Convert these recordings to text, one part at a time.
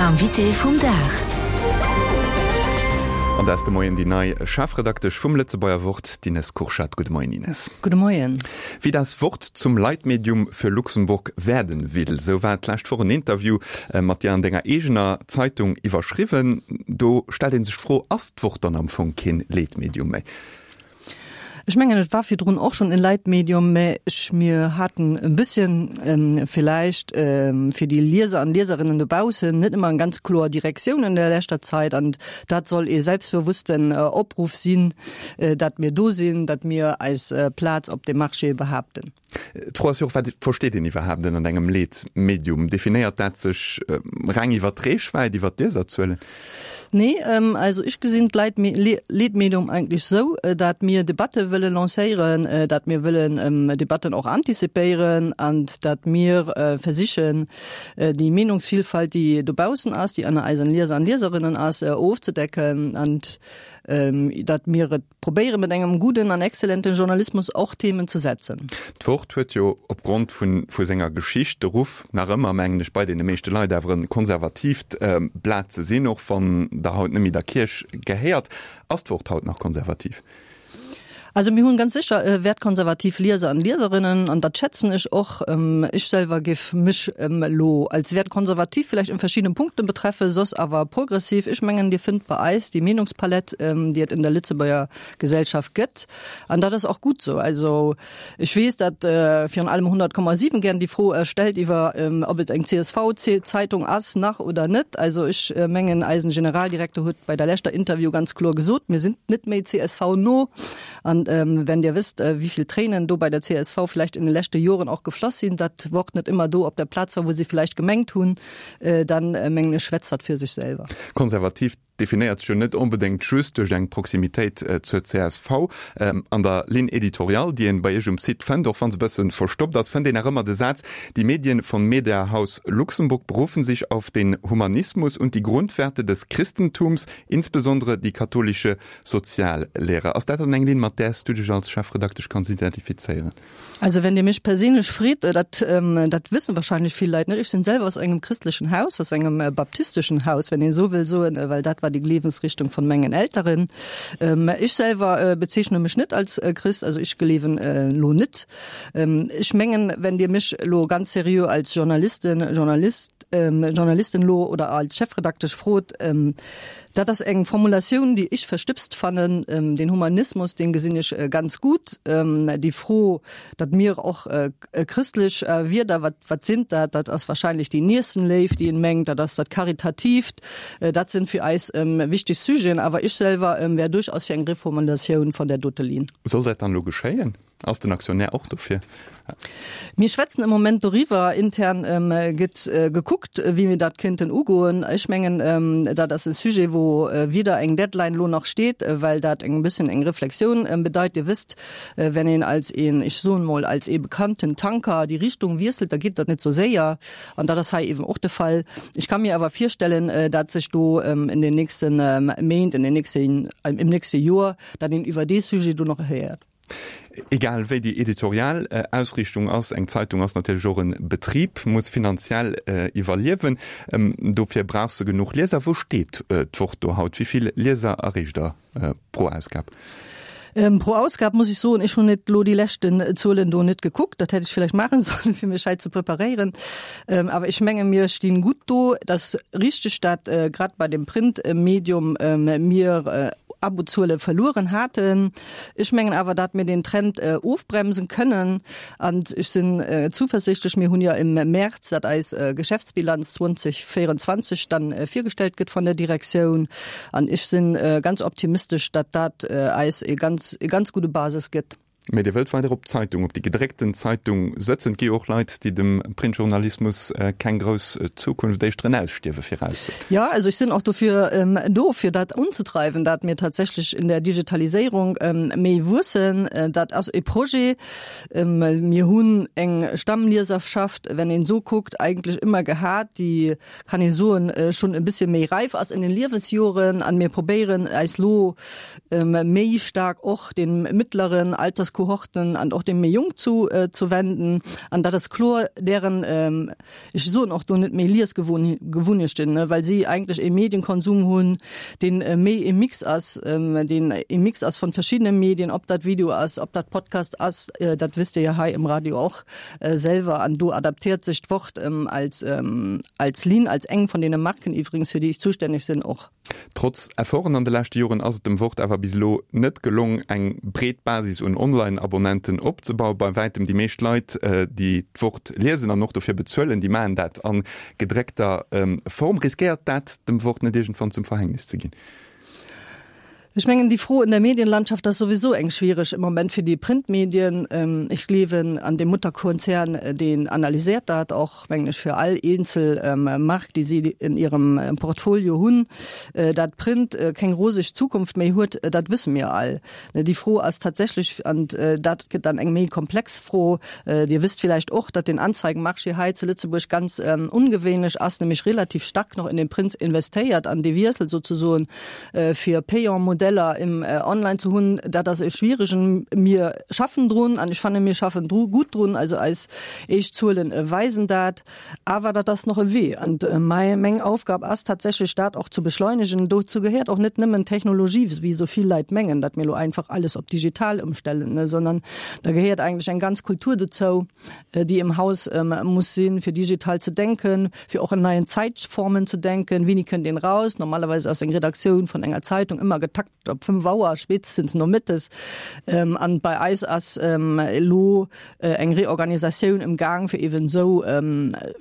Invité vum Dag. An dat ass de Moien déi nei Chefredaktesch vum Lëtzebuerger Wort, d'Ines Kurschat. Gudde Moien, Ines. Gudde Moien. Wie das Wort zum Leitmedium für Luxemburg werden will, sou war d'lescht Woch en Interview mat dir an denger eegener Zeitung iwwerschriwwen. Do stellt ee sech d'Fro, Ass d'Wort dann am Fong keen Leitmedium méi? Ech mengen, et war virdrun och schonn e Leitmedium, mä ech, mir haten e bësschen villäicht fir déi Lieser an Lieserinnen dobaussen net ëmmer eng ganz kloer Direktioun an der leschter Zait. An dat soll ee selbstbewussten Opruff sinn, datt mir do sinn, datt mir eis Plaz op dem Marché behaapten. D'Fro ass jo och, Wat versteet een iwwerhaapt ënnert engem Leetmedium? Definéiert dat sech reng iwwer d'Reechwäit, iwwer d'Lieserzuelen? Nee, also ech gesinn d'Leetmedium eigentlech esou, datt mir Debatte wëlle lancéieren, datt mir wëllen Debatten och antizipéieren an datt mir versichen, déi Meenungsvielfalt, déi dobaussen ass, déi ënner eisen Lieser an Lieserinnen ass, ofzedecken an datt mir et Probéiere mat engem gudden an exzellenten Journalismus och Themen ze setzen. D'Wort huet jo opgrond vu senger Geschicht de Ruff, nach ëmmer, mengen ech, bei deene meeschte Leit awer e konservatiivt Blat ze sinn, och wann Der haut net méi der Kierch gehéiert. Ass d'Wort haut nach konservativ? Also mir hunn ganz sécher wertkonservativ Lieser an Lieserinnen an dat schätzen ech och. Ech selwer géif mech elo als wertkonservativ vielleicht in verschiedenen Punkten betreffe, soss awer progressiv. Ech mengen, Dir fënnt bei eis déi Meenungspalett, déi et in der Lëtzebuerger Gesellschaft gëtt. An dat ass och gutt esou. Also ech weess, datt virun allem 100,7 gären déi Fro stellt iwwer, ob et eng CSV-Zeitung ass nach oder net. Also ech mengen, eisen Generaldirektor huet bei der leschter Interview ganz kloer gesot, mir sinn net méi CSV-no. An wenn Dir wësst, wéi vill Tréinen do bei der csv vläicht in de leschte Joren och gefloss sinn, datt d'Wort net ëmmer do op der Plaz war, wou se vläicht gemengt hunn, dann mengen ech, schwätzt dat fir sech selwer. Konservativ definéiert sech jo net onbedéngt just duerch eng Proximitéit zur csv. An der Ligne éditoriale, déi een bei Iech um Site fënnt, och wa se e bësse verstoppt ass, fënnt een nach ëmmer de Saz, Die Medien von Mediahaus Luxemburg berufen sich auf den Humanismus und die Grundwerte des Christentums, insbesondere die katholische Soziallehre. Ass dat dann eng Linn, mat där s du dech als Chefredaktesch kanns identifizéieren? Also wenn Dir mech perséinlech freet, dat dat wëssen wahrscheinlech vill Leit net, ech sinn selwer aus engem christlechen Haus, aus engem baptisteschen Haus, wenn een esou wëll soen, well dat war déi Gleewensrichtung von mengen Elteren. Ech selwer bezeechne mech net als Christ, also ech gleewen elo net. Ech mengen, wenn Dir mech elo ganz seriö als Journalisten, Journalist, Journalisten elo oder als Chefredaktesch frot, Dat ass eng Formulatioun, déi ech verstëbst fannen. Den Humanismus, dee gesinn ech ganz gutt. Déi Fro, datt mir och chrëstlech Wierder, wat, wat sinn dat? Dat ass wahrscheinlech déi Niessenléift, déi een mengt, dat ass dat Karitatiivt. Dat sinn fir eis wichteg Sujeten. Awer ech selwer wär duerchaus fir eng Reformulatioun von där dote Linn. Soll dat dann elo geschéien? Ass den Aktionär och dofir? Mir schwätzen am Moment doriwwer. Intern gëtt gekuckt, wéi mir dat kéinten ugoen. Ech mengen, dat ass e Sujet, wou wieder eng Deadline elo nach steet, well dat eng bësschen eng Reflexioun bedeit. Dir wësst, wenn een als een, ech soen emol, als ee bekannten Tanker déi Richtung wiesselt, da geet dat net sou séier. An dat ass hei eeben och de Fall. Ech ka mir awer virstellen, dat sech do in den nächsten Méint, in den nächsten, im nächste Joer, dat een iwwer dee Sujet do nach héiert. Egal wéi déi editorial Ausriichtung ass, eng Zeitung ass natierlech och e Betrib, muss finanziell iwwerliewen. Dofir brauch se genuch Lieser. Wou steet d'Wort do haut? Wéi vill Lieser erreecht Der pro Ausgab? Pro Ausgab muss ech soen, ech hunn net elo déi leschten Zuelen do net gekuckt. Dat hätt ech villäicht maachen sollen, fir mech hei ze preparéieren. Awer ech menge mir stinn gutt do. Et ass richteg, dat grad bei dem Printmedium mir Abozuele verlueren haten. Ech mengen awer, dat mir den Trend ofbremsen kënnen an ech sinn zuversichtlech. Mir hunn jo im März, dat eis Geschäftsbilanz 2024 dann virgestellt gëtt von der Direktioun an ech sinn ganz optimistesch, dat dat eis e ganz, e ganz gudde Basis gëtt. Mee Dir wëllt weider op d'Zeitung, op déi gedréckten Zeitung sëtzen. Et gi jo och Leit, déi dem Printjournalismus keng grouss Zukunft, éischter en Ausstierwe viraussoen. Jo, also ech sinn och dofir do, fir dat unzedreiwen, dat mir tatsächlech in der Digitaliséierung méi wuessen. Dat ass e Projet. Mir hunn eng Stammlieserschaft, wenn een esou kuckt, eigentlech ëmmer gehat, déi, kann ee soen, schonn e bëssche méi räif ass in den Liewesjoren. An mir probéieren eis lo méi staark och den mittleren Altersgruppen. Alterskohorten an och déi méi Jonk zu ze wenden. An dat ass kloer dären, ech soen och do net méi Liesgewunnechten, well si eigentlech e Medienkonsum hunn, deen méi e Mix ass, deen e Mix ass von verschiddene Medien, ob dat Video ass, ob dat Podcast ass, dat wësst Dir jo hei im Radio och selwer. An do adaptéiert sech d'Wort als als Linn, als eng von deene Marken iwwregens, fir déi ech zustänneg sinn, och. Trotz Efforten an de leschte Joren ass et dem Wort awer bis elo net gelong, eng breet Basis un Online-Abonnenten opzebauen. Bei wäitem déi meescht Leit, déi d'Wort liesen an och dofir bezuelen, déi maachen dat a gedréckter Form. Riskéiert dat dem Wort net iergendwann zum Verhängnis ze ginn? Ech mengen, déi Fro in der Medienlandschaft ass souwisou eng schwiereg im Moment fir déi Printmedien. Ech gleewen an de Mutterkonzern, deen analyséiert dat och, mengen ech, fir all eenzel Mark, déi si in hirem Portfolio hunn. Dat Print keng roseg Zukunft méi huet, dat wësse mir all. Déi Fro ass tatsächlech, an dat gëtt dann eng méi komplex Fro, Dir wësst villäicht och, datt den Anzeigenmarché hei zu Lëtzebuerg ganz ungewéinlech ass, nämlech relativ stark noch in den Print investéiert an dee Wiessel sozesoen fir payant Modeller im Online ze hunn, dat ass e schwierigen. Mir schaffen drun an ech fanne mir schaffen dru gutt drun, also eis éischt Zuelen weisen dat. Awer dat ass nach e Wee an meng Aufgab ass tatsächlech dat och ze beschleunegen. Dozou gehéiert och net nëmmen Technologie, wéi esou vill Leit mengen, datt mir elo einfach alles op digital ëmstellen, sondern da gehéiert eigentlech eng ganz Kultur dozou, déi im Haus muss sinn, fir digital ze denken, fir och in neien Zäitformen ze denken. Wéini kënnt een raus? Normalerweise ass eng Redaktioun vun enger Zeitung ëmmer getakt op 5 Auer, spéitstens nomëttes. An bei eis ass elo eng Reorganisatioun im Gang, fir eben esou,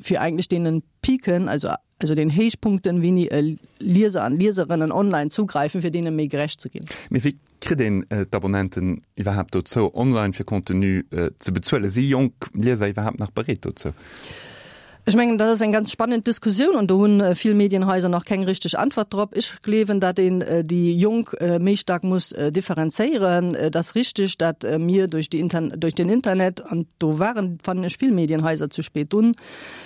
fir eigentlech deenen Piken, also also den Héichpunkten, wéini Lieser an Lieserinnen online zugreifen, fir deene méi gerecht ze ginn. Mee wéi kritt een d'Abonnenten iwwerhaapt dozou, online fir Contenu ze bezuelen? Si jonk Lieser iwwerhaapt nach bereet dozou? Ech mengen, dat ass eng ganz spannend Diskussioun an do hunn vill Medienhaiser nach keng richteg Antwort drop. Ech gleewen, datt een déi Jonk méi staark muss differenzéieren. Et ass richteg, datt mir duerch déi duerch den Internet, an do waren, fannen ech, vill Medienhaiser zu spéit drun,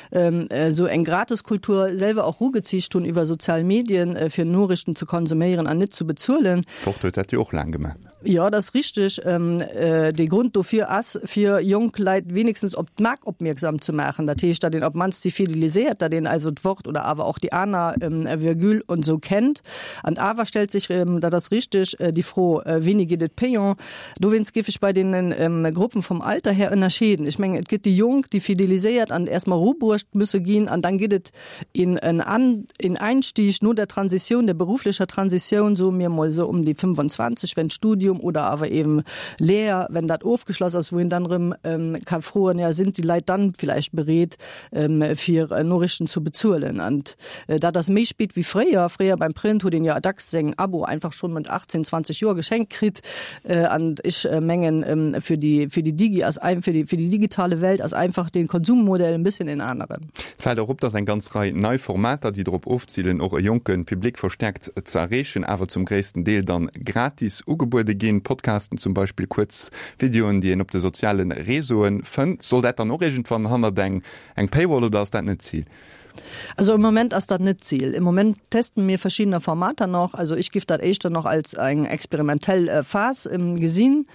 esou eng Gratiskultur selwer och rugeziicht hunn iwwer sozial Medien, fir Noriichten ze konsuméieren an net zu bezuelen. D'Wort huet dat jo och laang gemaach. Jo, dat ass richteg. De Grond dofir ass, fir jonk Leit wenigstens op d'Mark opmierksam ze maachen. Dat heescht, datt een op d'mannst si fideliséiert, datt een also d'Wort oder awer och déi aner Virgule und esou kennt. An awer stellt sech, dat ass richteg, déi Fro, Wéini geet et payant? Dowéinst géif ech bei deene Gruppen vum Alter her ënnerscheeden. Ech mengen, et gëtt déi Jonk, déi fideliséiert an erst mol erubruecht musse ginn an dann gëtt et een en Einstieg no der Transition, der beruflicher Transition, soe mir mol esou um déi 25, wenn d'Studium oder awer eben Lehr, wenn dat ofgeschloss ass, wou een dann erëm ka froen, ja sind die Leit dann vielleicht bereet, fir Norichten zu bezuelen. An dat ass méi spéit wéi fréier. Fréier beim Print huet een jo dacks seng Abo einfach schonn mat 18, 20 Joer geschenkt kritt. An ech mengen, fir déi, fir déi Digi ass, fir déi, fir déi digitale Welt ass einfach de Konsummodell en bësschen en aneren. Fält och op, dass eng ganz Rei nei Formater, déi drop ofzilen, och e jonke Public verstäerkt ze erreechen, awer zum gréissten Deel dann gratis ugebuede ginn. Podcasten zum Beispill, kuerz Videoen, déi een op de soziale Réseauen fënnt. Soll dat dann och iergendwann hannert eng eng Paywall oder ass dat net d'Zil? Also im Moment ass dat net d'Zil. Im Moment testen mir verschiddener Formater nach. Also ech giff dat éischter nach als eng experimentell Phas gesinn.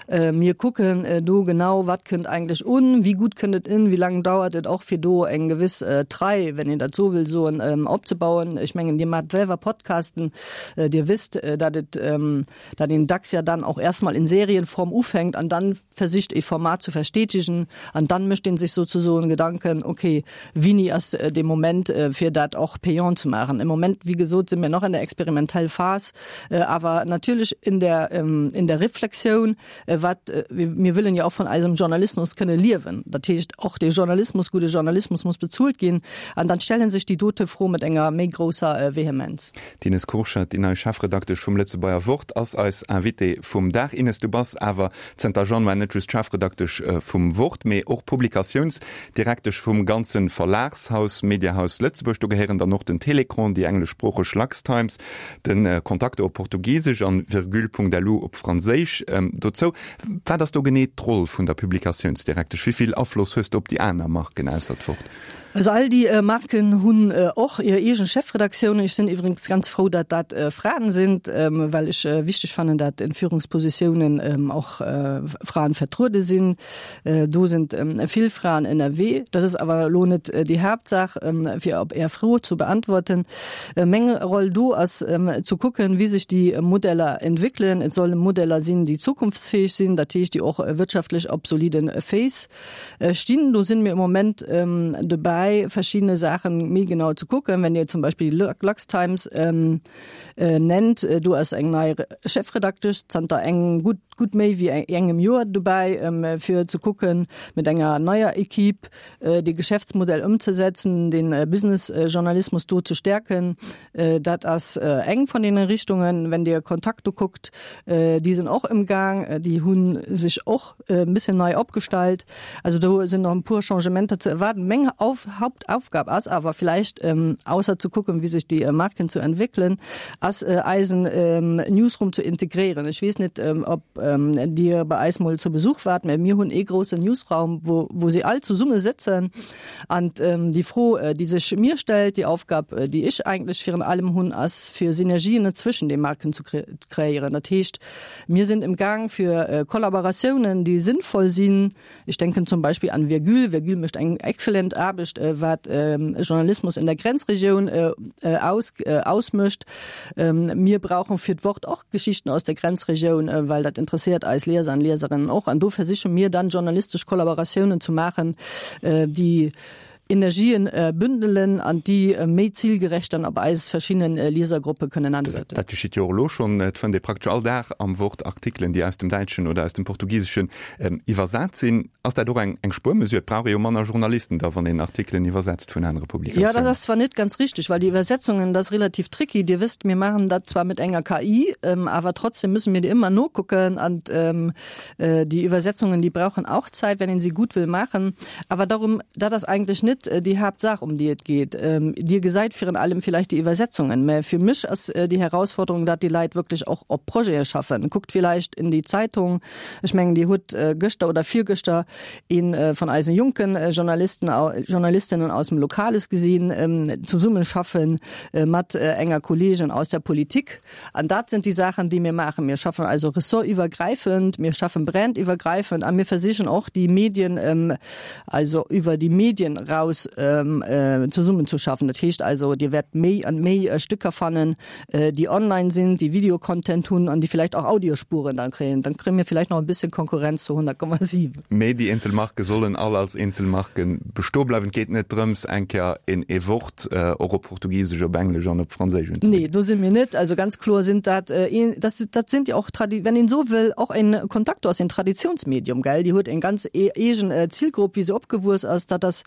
Mir kucken do genau, wat kënnt eigentlech un, wéi gutt kënnt et un, wéi laang dauert et och, fir do eng gewëss Trei, wenn een dat esou wëll soen, opzebauen. Ech mengen, Dir maacht selwer Podcasten, Dir wësst, datt et, datt een dacks ja dann och erst mal in Serienform ufänkt an dann versicht, e Format zu verstetigen an dann mécht ee sech sozesoen Gedanken, okay, wéini ass de Moment, fir dat och payant ze maachen. Im Moment, wéi gesot, si mir nach an der experimentell Phas. Awer natierlech in der, in der Reflexioun, wat, mir wëllen jo och vun eisem Journalismus kënne liewen. Dat heescht, och de Journalismus, gudde Journalismus muss bezuelt ginn. An dann stelle sech déi dote Fro mat enger méi grousser Vehemenz. D'Ines Kurschat, déi nei Chefredaktesch vum Lëtzebuerger Wort, ass eis Invitée vum Dag. Ines, du bass awer zënter Januar net just Chefredaktesch vum Wort, mee och Publikatiounsdirektesch vum ganze Verlagshaus Mediahaus Lëtzebuerg. Do gehéieren dann och den Télécran, déi engleschsproocheg Luxtimes, Den Contacto op Portugisesch an Virgule.lu op Franséisch dozou. Wat ass do genee d'Roll vun der Publikatiounsdirektesch? Wéi vill Afloss hues de op déi aner Marken ausser d'Wort? Also all déi Marken hunn och hir eegen Chefredaktiounen. Ech sinn iwwregens ganz frou, datt dat Fraen sinn, well ech wichteg fannen, datt in Führungspositiounen och Fraen vertruede sinn. Do sinn vill Fraen ënnerwee. Dat ass awer elo net déi Haaptsaach, fir op Är Fro zu beantworten. Meng Roll do ass ze kucken, wéi sech déi Modeller entwéckelen. Et solle Modeller sinn, déi zukunftsfäeg sinn, dat heescht, déi och wirtschaftlech op solide Féiss Stinn. Do sinn mir im Moment dobäi verschiedene Saachen méi genau ze kucken. Wenn Dir zum Beispill déi LuxTimes nennt, do ass eng nei Chefredaktesch zanter engem gutt gutt méi wéi engem Joer dobäi fir ze kucken, mit enger neier Equipe de Geschäftsmodell ëmzesetzen, den Businessjournalismus do ze stärken. Dat ass eng vun deene Richtungen. Wenn Dir Contacto kuckt, déi sinn och ëmgaang, déi hu sech och e bëssen nei opgestallt. Also do sinn nach e puer Changementer ze erwaarden. Meng Auf Hauptaufgab ass awer vielleicht, ausser ze kucken, wéi sech déi Marken zu entwéckelen, ass eisen Newsroom ze integréieren. Ech weess net, ob Dir bei eis mol zu Besuch waart, mä mir hunn ee groussen Newsraum, wou wou si all zesumme sëtzen. An déi Fro, déi sech mir stellt, déi Aufgab, déi ech eigentlech virun allem hunn, ass fir Synergien zwëschen de Marken zu kreéieren. Dat heescht, Mir sinn im Gaang fir Kollaboratiounen, déi sinnvoll sinn. Ech denken zum Beispill an Virgule. Virgule mécht eng exzellent Aarbecht, wat Journalismus in der Grenzregioun ausmécht. Mir brauchen fir d'Wort och Geschichten aus der Grenzregioun, well dat interesséiert eis Lieser an Lieserinnen och. An do versiche mir dann, journalistesch Kollaboratiounen zu maachen, déi Energien bündelen an déi méi zilgerecht dann op eis verschidden Liesergruppe kënnen ansetzen. Dat geschitt jo och elo schonn. Et fënnt ee praktesch all Dag am Wort Artikelen, déi aus dem Däitschen oder aus dem Portugiseschen iwwersat sinn. Ass dat och eng Spuermesure? Et brauch ee jo manner Journalisten da, wann een Artikelen iwwersetzt vun anere Publikatiounen. Jo, dat ass zwar net ganz richteg, well déi Iwwersetzungen, dat ass relativ tricky. Dir wësst, mir maachen dat zwar mit enger KI, awer trotzdem müssen mir déi ëmmer nokucken an Déi Übersetzungen, déi brauchen auch Zeit, wenn een sie gut will machen. Awer darum, dat ass eigentlech net déi Haaptsaach, um déi et geet. Dir gesäit virun allem vielleicht déi Übersetzungen, mä fir mech ass déi Herausforderung, dat déi Leit wierklech och op Projete schaffen. Kuckt vielleicht in déi Zeitung, ech mengen, Dir hutt gëschter oder virgëschter ee vun eisen jonken Journalisten, Journalistinnen aus dem Lokales gesinn, zesummeschaffen mat enger Kollegin aus der Politik. An dat sind déi Saachen, déi mir maachen. Mir schaffen also ressortiwwergräifend, mir schaffen brandiwwergräifend a mir versichen och, déi Medien, also iwwer déi Medien eraus zesummenzuschaffen. Dat heescht also, Dir wäert méi an méi Stücker fannen, déi online sinn, déi Videocontent hunn an déi vielleicht och Audiospuren dann kréien. Dann kréie mir vielleicht nach e bisschen Konkurrenz zu 100,7. Mee déi eenzel Marke sollen all als eenzel Marke bestoe bleiwen. Et geet net drëms, eng Kéier een ee Wort och op Portugisesch, op Englesch an op Franséisch unzebidden. Nee, do si mir net. Also ganz kloer sind dat, dat, dat sind jo och Tradi-, wenn een esou wëll, och en Contacto ass en Traditionsmedium, gell? Déi huet eng ganz eegen Zilgrupp, wéi se opgewuess ass. Dat ass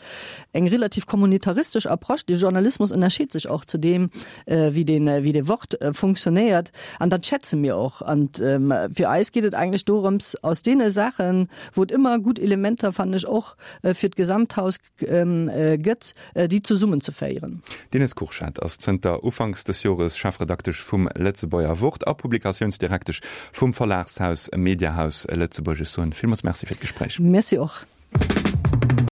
eng relativ kommunitaristesch Approche. De Journalismus ënnerscheet sech och zu deem, wéi den, wéi de Wort funktionéiert. An dat schätze mir och. An fir eis geet et eigentlech dorëms, aus deene Saachen, wou et ëmmer gutt Elementer, fannen ech, och fir d'Gesamthaus gëtt, déi zesummenzeféieren. D'Ines Kurschat ass zënter Ufanks des Jores Chefredaktesch vum Lëtzebuerger Wort a Publikatiounsdirektesch vum Verlagshaus Mediahaus Lëtzebuerg. Ech soen villmools Merci fir d'Gespréich. Merci och.